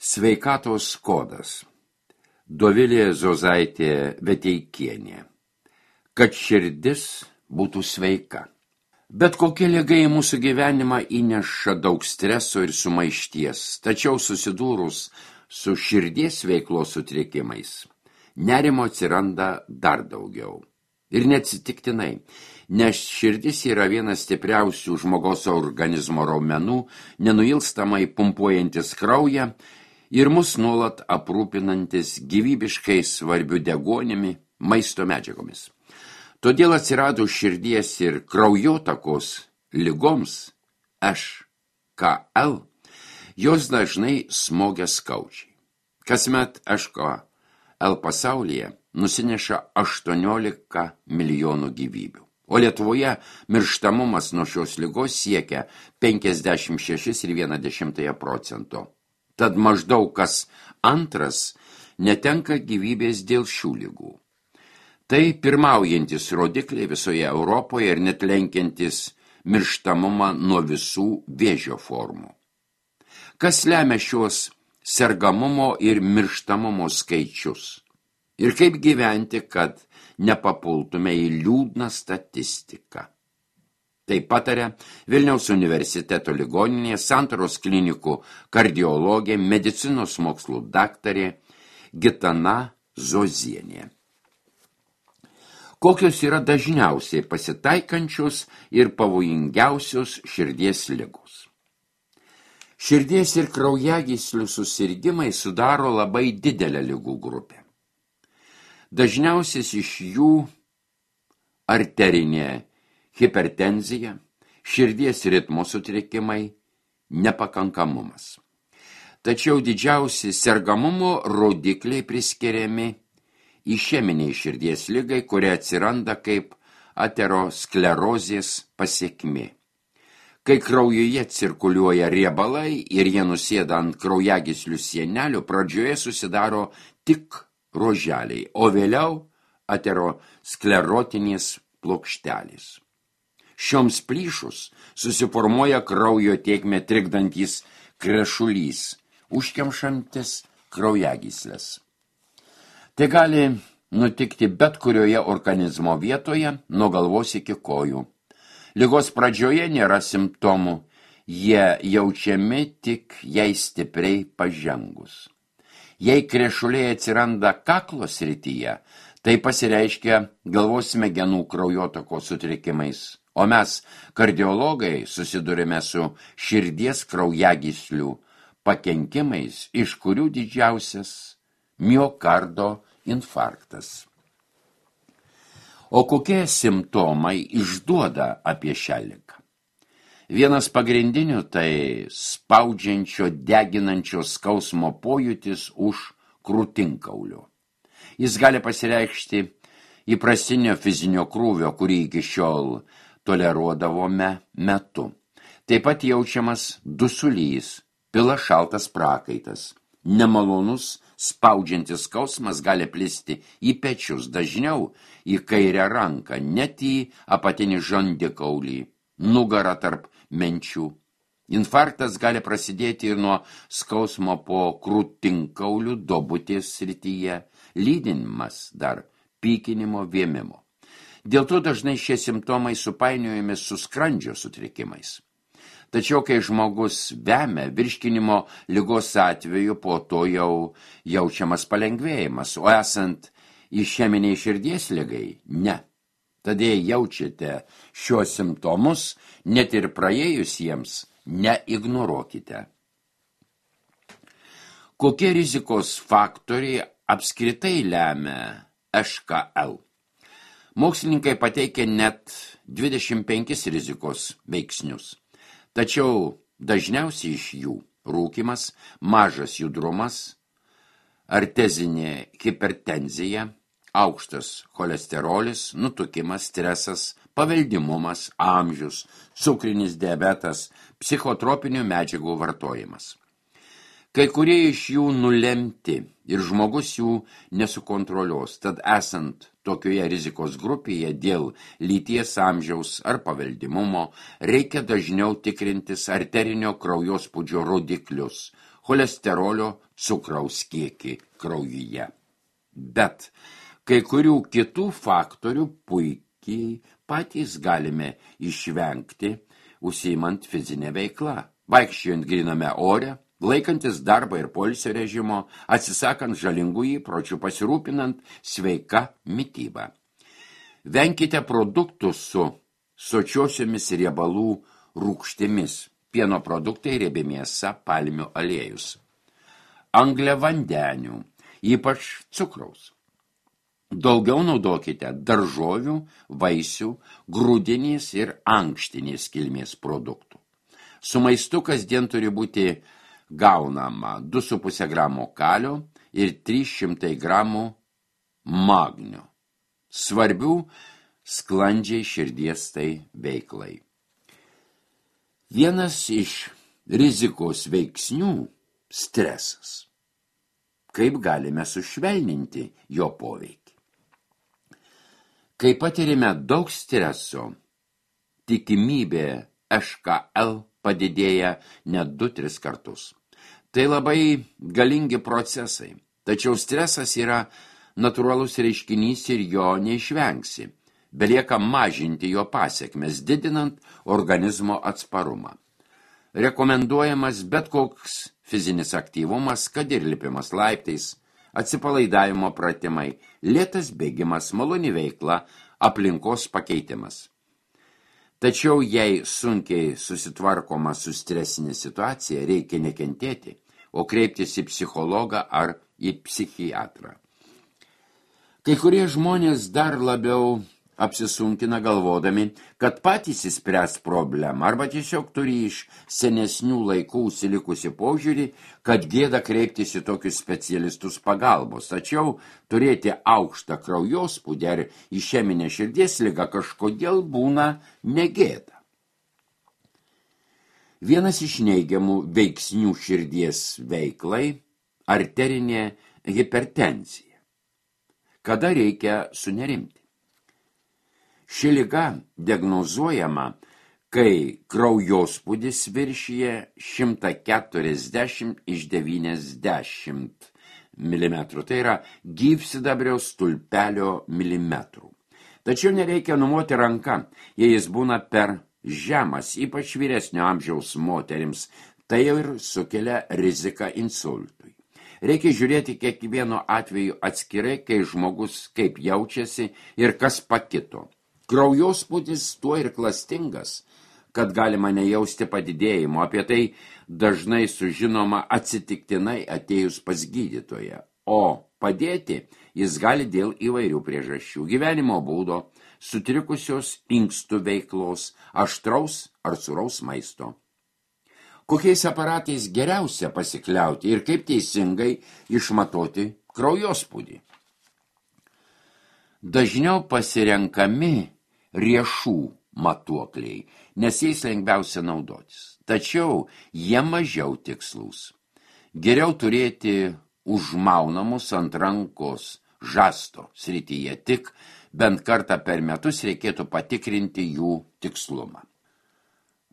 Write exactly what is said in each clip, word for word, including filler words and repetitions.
Sveikatos kodas. Dovilė Zozaitė Veteikienė. Kad širdis būtų sveika. Bet kokie ligai į mūsų gyvenimą įneša daug streso ir sumaišties, tačiau susidūrus su širdies veiklos sutrikimais, nerimo atsiranda dar daugiau. Ir neatsitiktinai, nes širdis yra vienas stipriausių žmogaus organizmo raumenų, nenuilstamai pumpuojantis kraują ir mus nuolat aprūpinantis gyvybiškai svarbių deguonimi, maisto medžiagomis. Todėl atsirado širdies ir kraujotakos ligoms H K L, jos dažnai smogia skaudžiai. Kasmet H K L pasaulyje nusineša aštuoniolika milijonų gyvybių, o Lietuvoje mirštamumas nuo šios ligos siekia penkiasdešimt šešis ir vieną dešimtąją procento. Tad maždaug kas antras netenka gyvybės dėl šių ligų. Tai pirmaujantis rodikliai visoje Europoje ir net lenkiantis mirštamumą nuo visų vėžio formų. Kas lemia šios sergamumo ir mirštamumo skaičius? Ir kaip gyventi, kad nepapultume į liūdną statistiką? Tai pataria Vilniaus universiteto ligoninėje Santaros klinikų kardiologė, medicinos mokslų daktarė Gitana Zozienė. Kokios yra dažniausiai pasitaikančios ir pavojingiausios širdies ligos? Širdies ir kraujagyslių susirgimai sudaro labai didelę ligų grupę. Dažniausias iš jų arterinė hipertenzija, širdies ritmo sutrikimai, nepakankamumas. Tačiau didžiausi sergamumo rodikliai priskiriami išeminiai širdies ligai, kurie atsiranda kaip aterosklerozės pasekmė. Kai kraujuje cirkuliuoja riebalai ir jie nusėda ant kraujagyslių sienelių, pradžioje susidaro tik ruoželiai, o vėliau aterosklerotinės plokštelės. Šioms plyšus susiformuoja kraujo tėkmę trikdantis krešulys, užkemšantis kraujagyslės. Tai gali nutikti bet kurioje organizmo vietoje, nuo galvos iki kojų. Ligos pradžioje nėra simptomų, jie jaučiami tik jai stipriai pažengus. Jei krešuliai atsiranda kaklo srityje, tai pasireiškia galvos smegenų kraujotakos sutrikimais, o mes, kardiologai, susidurime su širdies kraujagyslių pakenkimais, iš kurių didžiausias miokardo infarktas. O kokie simptomai išduoda apie šią ligą? Vienas pagrindinių tai spaudžiančio, deginančio skausmo pojūtis už krūtinkaulio. Jis gali pasireikšti įprastinio fizinio krūvio, kurį iki šiol toleruodavome metu. Taip pat jaučiamas dusulys, pila šaltas prakaitas. Nemalonus, spaudžiantis skausmas gali plisti į pečius, dažniau į kairę ranką, net į apatinį žandikaulį, nugarą tarp menčių. Infarktas gali prasidėti ir nuo skausmo po krūtinkaulių duobutės srityje, lydinimas dar pykinimo vėmimo. Dėl to dažnai šie simptomai supainiojami su skrandžio sutrikimais. Tačiau, kai žmogus vemia, virškinimo ligos atveju, po to jau jaučiamas palengvėjimas, o esant išeminiai širdies ligai, ne. Tada jaučiate šios simptomus, net ir praėjus jiems, neignoruokite. Kokie rizikos faktoriai apskritai lemia H K L? Mokslininkai pateikia net dvidešimt penkis rizikos veiksnius. Tačiau dažniausiai iš jų rūkymas, mažas judrumas, artezinė hipertenzija, aukštas cholesterolis, nutukimas, stresas, paveldimumas, amžius, cukrinis diabetas, psichotropinių medžiagų vartojimas. Kai kurie iš jų nulemti ir žmogus jų nesukontroliuos, tad esant tokioje rizikos grupėje dėl lyties, amžiaus ar paveldimumo reikia dažniau tikrintis arterinio kraujospūdžio rodiklius, cholesterolio, cukraus kiekį kraujyje. Bet kai kurių kitų faktorių puikiai patys galime išvengti, užsiimant fizinę veiklą, vaikščiojant gryname ore, laikantis darbo ir poilsio režimo, atsisakant žalingų įpročių, pasirūpinant sveika mityba. Venkite produktų su sočiosiomis riebalų rūgštimis, pieno produktai, riebi mėsa, palmių aliejus. Angliavandenių, ypač cukraus. Daugiau naudokite daržovių, vaisių, grūdinės ir ankštinės kilmės produktų. Su maistu kasdien turi būti gaunama du su puse gramo kalio ir trys šimtai gramų magnio. Svarbių sklandžiai širdies tai veiklai. Vienas iš rizikos veiksnių – stresas. Kaip galime sušvelninti jo poveikį? Kai patirime daug streso, tikimybė H K L padidėja net du tris kartus. Tai labai galingi procesai, tačiau stresas yra natūralus reiškinys ir jo neišvengsi. Belieka mažinti jo pasekmes, didinant organizmo atsparumą. Rekomenduojamas bet koks fizinis aktyvumas, kad ir lipimas laiptais, atsipalaidavimo pratimai, lėtas bėgimas, maloni veikla, aplinkos pakeitimas. Tačiau jei sunkiai susitvarkoma su stresinė situacija, reikia nekentėti, o kreiptis į psichologą ar į psichiatrą. Kai kurie žmonės dar labiau apsisunkina galvodami, kad patys įspręs problemą arba tiesiog turi iš senesnių laikų užsilikusi požiūrį, kad gėda kreiptis į tokius specialistus pagalbos, tačiau turėti aukštą kraujospūdį ar išeminę širdies ligą kažkodėl būna negėda. Vienas iš neigiamų veiksnių širdies veiklai – arterinė hipertenzija. Kada reikia sunerimti? Ši liga diagnozuojama, kai kraujospūdis viršyje šimtą keturiasdešimt iš devyniasdešimt milimetrų, tai yra gyvsidabrio stulpelio milimetrų. Tačiau nereikia numoti ranką, jei jis būna per žemas, ypač vyresnio amžiaus moterims, tai jau ir sukelia riziką insultui. Reikia žiūrėti kiekvieno atveju atskirai, kai žmogus kaip jaučiasi ir kas pakito. Kraujospūdis tuo ir klastingas, kad galima nejausti padidėjimo, apie tai dažnai sužinoma atsitiktinai atėjus pas gydytoją, o padėti jis gali dėl įvairių priežasčių, gyvenimo būdo, sutrikusios inkstų veiklos, aštraus ar sūraus maisto. Kokiais aparatais geriausia pasikliauti ir kaip teisingai išmatuoti kraujospūdį? Dažniau pasirenkami riešų matuokliai, nes jais lengviausia naudotis. Tačiau jie mažiau tikslus. Geriau turėti užmaunamus ant rankos žasto srityje, tik bent kartą per metus reikėtų patikrinti jų tikslumą.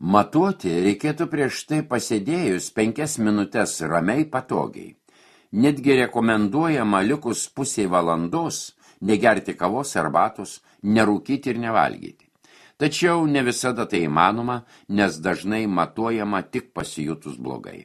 Matuoti reikėtų prieš tai pasėdėjus penkias minutes ramiai patogiai. Netgi rekomenduojama likus pusiai valandos negerti kavos, arbatos, nerūkyti ir nevalgyti. Tačiau ne visada tai įmanoma, nes dažnai matuojama tik pasijutus blogai.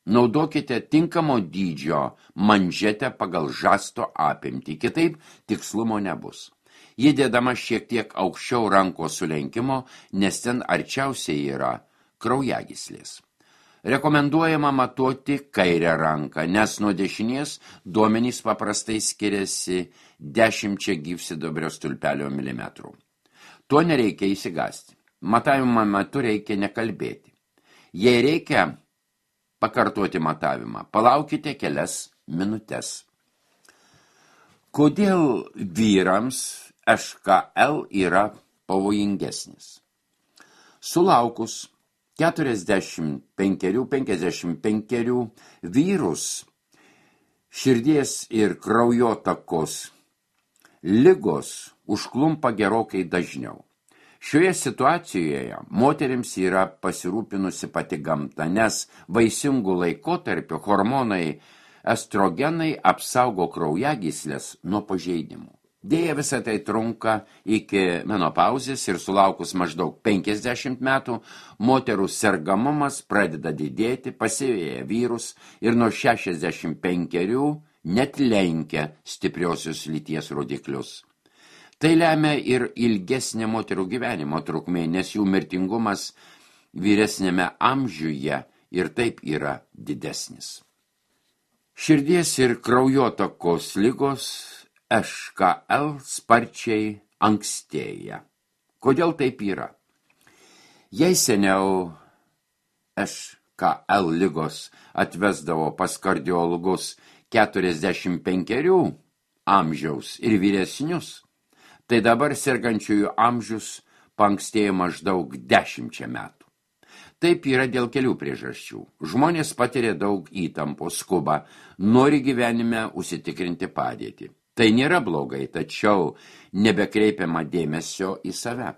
Naudokite tinkamo dydžio manžetę pagal žasto apimtį, kitaip tikslumo nebus. Ji dėdama šiek tiek aukščiau rankos sulenkimo, nes ten arčiausiai yra kraujagyslės. Rekomenduojama matuoti kairę ranką, nes nuo dešinės duomenys paprastai skiriasi dešimčia gyvsidabrio stulpelio milimetrų. Tuo nereikia įsigasti. Matavimo metu reikia nekalbėti. Jei reikia pakartoti matavimą, palaukite kelias minutes. Kodėl vyrams H K L yra pavojingesnis? Sulaukus keturiasdešimt penkerių penkiasdešimt penkerių vyrus širdies ir kraujotakos ligos užklumpa gerokai dažniau. Šioje situacijoje moterims yra pasirūpinusi pati gamta, nes vaisingų laikotarpių hormonai estrogenai apsaugo kraujagyslės nuo pažeidimų. Deja, visą tai trunka iki menopauzės ir sulaukus maždaug penkiasdešimt metų moterų sergamumas pradeda didėti, pasiveja vyrus ir nuo šešiasdešimt penkerių net lenkia stipriosios lyties rodiklius. Tai lemia ir ilgesnė moterų gyvenimo trukmė, nes jų mirtingumas vyresnėme amžiuje ir taip yra didesnis. Širdies ir kraujotakos ligos H K L sparčiai ankstėja. Kodėl taip yra? Jei seniau H K L ligos atvesdavo pas kardiologus keturiasdešimt penkerių amžiaus ir vyresnius, tai dabar sergančiųjų amžius paankstėjo maždaug dešimčia metų. Taip yra dėl kelių priežasčių. Žmonės patiria daug įtampos, skuba, nori gyvenime užsitikrinti padėtį. Tai nėra blogai, tačiau nebekreipiama dėmesio į save.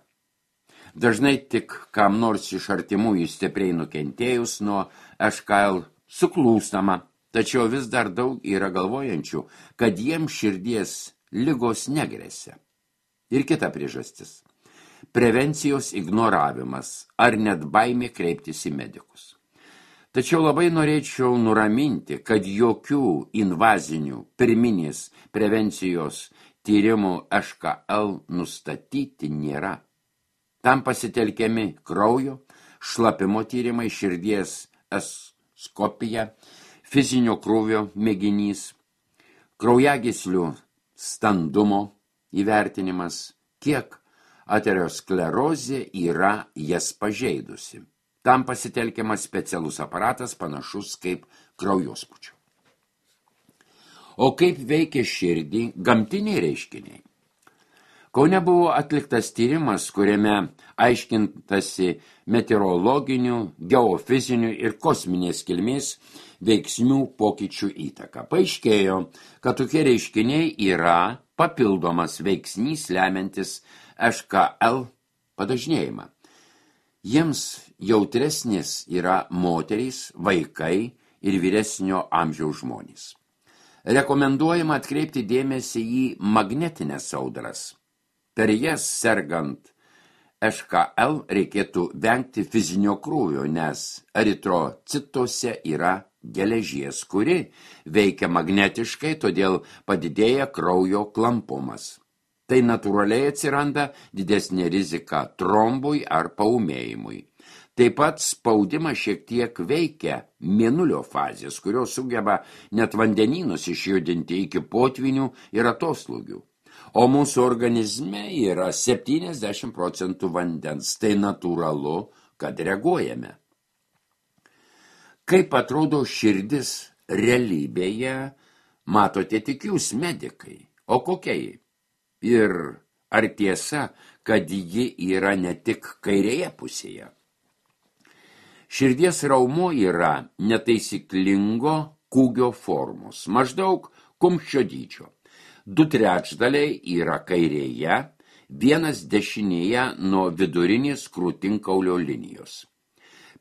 Dažnai tik kam nors iš artimųjų stipriai nukentėjus nuo H K L suklūstama, tačiau vis dar daug yra galvojančių, kad jiems širdies ligos negresia. Ir kita priežastis – prevencijos ignoravimas ar net baimė kreiptis į medikus. Tačiau labai norėčiau nuraminti, kad jokių invazinių pirminės prevencijos tyrimų H K L nustatyti nėra. Tam pasitelkiami kraujo, šlapimo tyrimai, širdies echoskopija, fizinio krūvio mėginys, kraujagyslių standumo įvertinimas, kiek aterosklerozė yra jas pažeidusi. Tam pasitelkiamas specialus aparatas panašus kaip kraujospūdžio. O kaip veikia širdį gamtiniai reiškiniai? Kaune buvo atliktas tyrimas, kuriame aiškintasi meteorologinių, geofizinių ir kosminės kilmės veiksnių pokyčių įtaka. Paaiškėjo, kad tokie reiškiniai yra papildomas veiksnys lemiantis H K L padažnėjimą. Jiems jautresnės yra moterys, vaikai ir vyresnio amžiaus žmonės. Rekomenduojama atkreipti dėmesį į magnetinės audras. Per jas sergant H K L reikėtų vengti fizinio krūvio, nes eritrocituose yra geležies, kuri veikia magnetiškai, todėl padidėja kraujo klampumas. Tai natūraliai atsiranda didesnė rizika trombui ar paūmėjimui. Taip pat spaudimas šiek tiek veikia mėnulio fazės, kurios sugeba net vandenynus išjudinti iki potvinių ir atoslūgių. O mūsų organizme yra septyniasdešimt procentų vandens, tai natūralu, kad reaguojame. Kaip atrodo širdis realybėje, matote tik jūs medikai, o kokia ji? Ir ar tiesa, kad ji yra ne tik kairėje pusėje? Širdies raumuo yra netaisyklingo kūgio formos, maždaug kumščio dydžio. Du trečdaliai yra kairėje, vienas dešinėje nuo vidurinės krūtinkaulio linijos.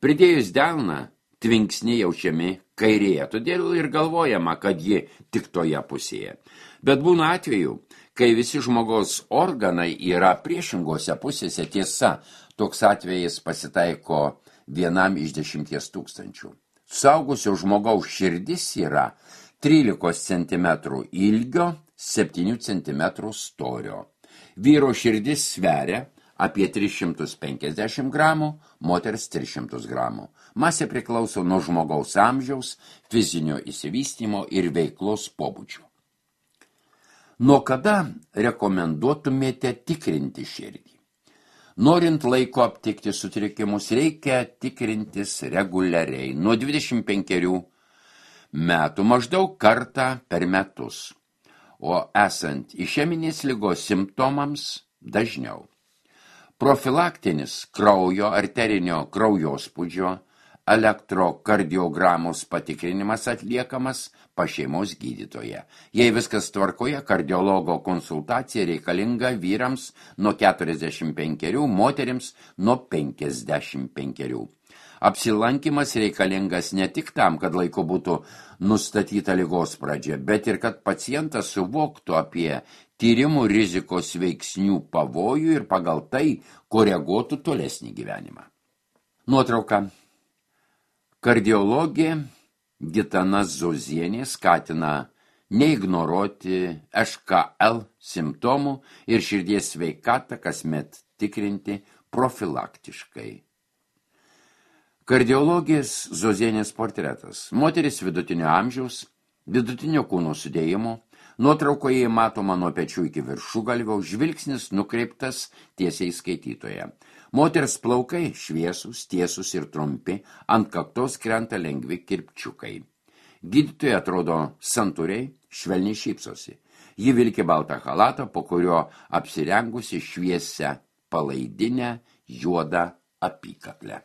Pridėjus delną, tvinksniai jaučiami kairėje, todėl ir galvojama, kad ji tik toje pusėje. Bet būna atveju, kai visi žmogaus organai yra priešingose pusėse, tiesa, toks atvejis pasitaiko vienam iš dešimties tūkstančių. Suaugusio žmogaus širdis yra trylikos centimetrų ilgio, septynių centimetrų storio. Vyro širdis sveria apie tris šimtus penkiasdešimt gramų, moters tris šimtus gramų. Masė priklauso nuo žmogaus amžiaus, fizinio išsivystymo ir veiklos pobūdžio. Nuo kada rekomenduotumėte tikrinti širdį? Norint laiko aptikti sutrikimus, reikia tikrintis reguliariai, nuo dvidešimt penkerių metų, maždaug kartą per metus, o esant išeminės ligos simptomams dažniau. Profilaktinis kraujo arterinio kraujospūdžio elektrokardiogramos patikrinimas atliekamas pas šeimos gydytoje. Jei viskas tvarkoje, kardiologo konsultacija reikalinga vyrams nuo keturiasdešimt penkerių, moterims nuo penkiasdešimt penkerių. Apsilankimas reikalingas ne tik tam, kad laiku būtų nustatyta ligos pradžia, bet ir kad pacientas suvoktų apie tyrimų rizikos veiksnių pavojų ir pagal tai koreguotų tolesnį gyvenimą. Nuotrauka. Kardiologė Gitana Zozienė skatina neignoruoti Š K L simptomų ir širdies sveikatą kasmet tikrinti profilaktiškai. Kardiologės Zozienės portretas. Moteris vidutinio amžiaus, vidutinio kūno sudėjimo. Nuotraukoje matoma nuo pečių iki viršugalvio, žvilgsnis nukreiptas tiesiai skaitytoje. Moters plaukai šviesūs, tiesus ir trumpi, ant kaktos krenta lengvi kirpčiukai. Gydytoja atrodo santūriai, švelniai šypsosi. Ji vilki baltą chalatą, po kurio apsirengusi šviesią palaidinę juodą apykaklę.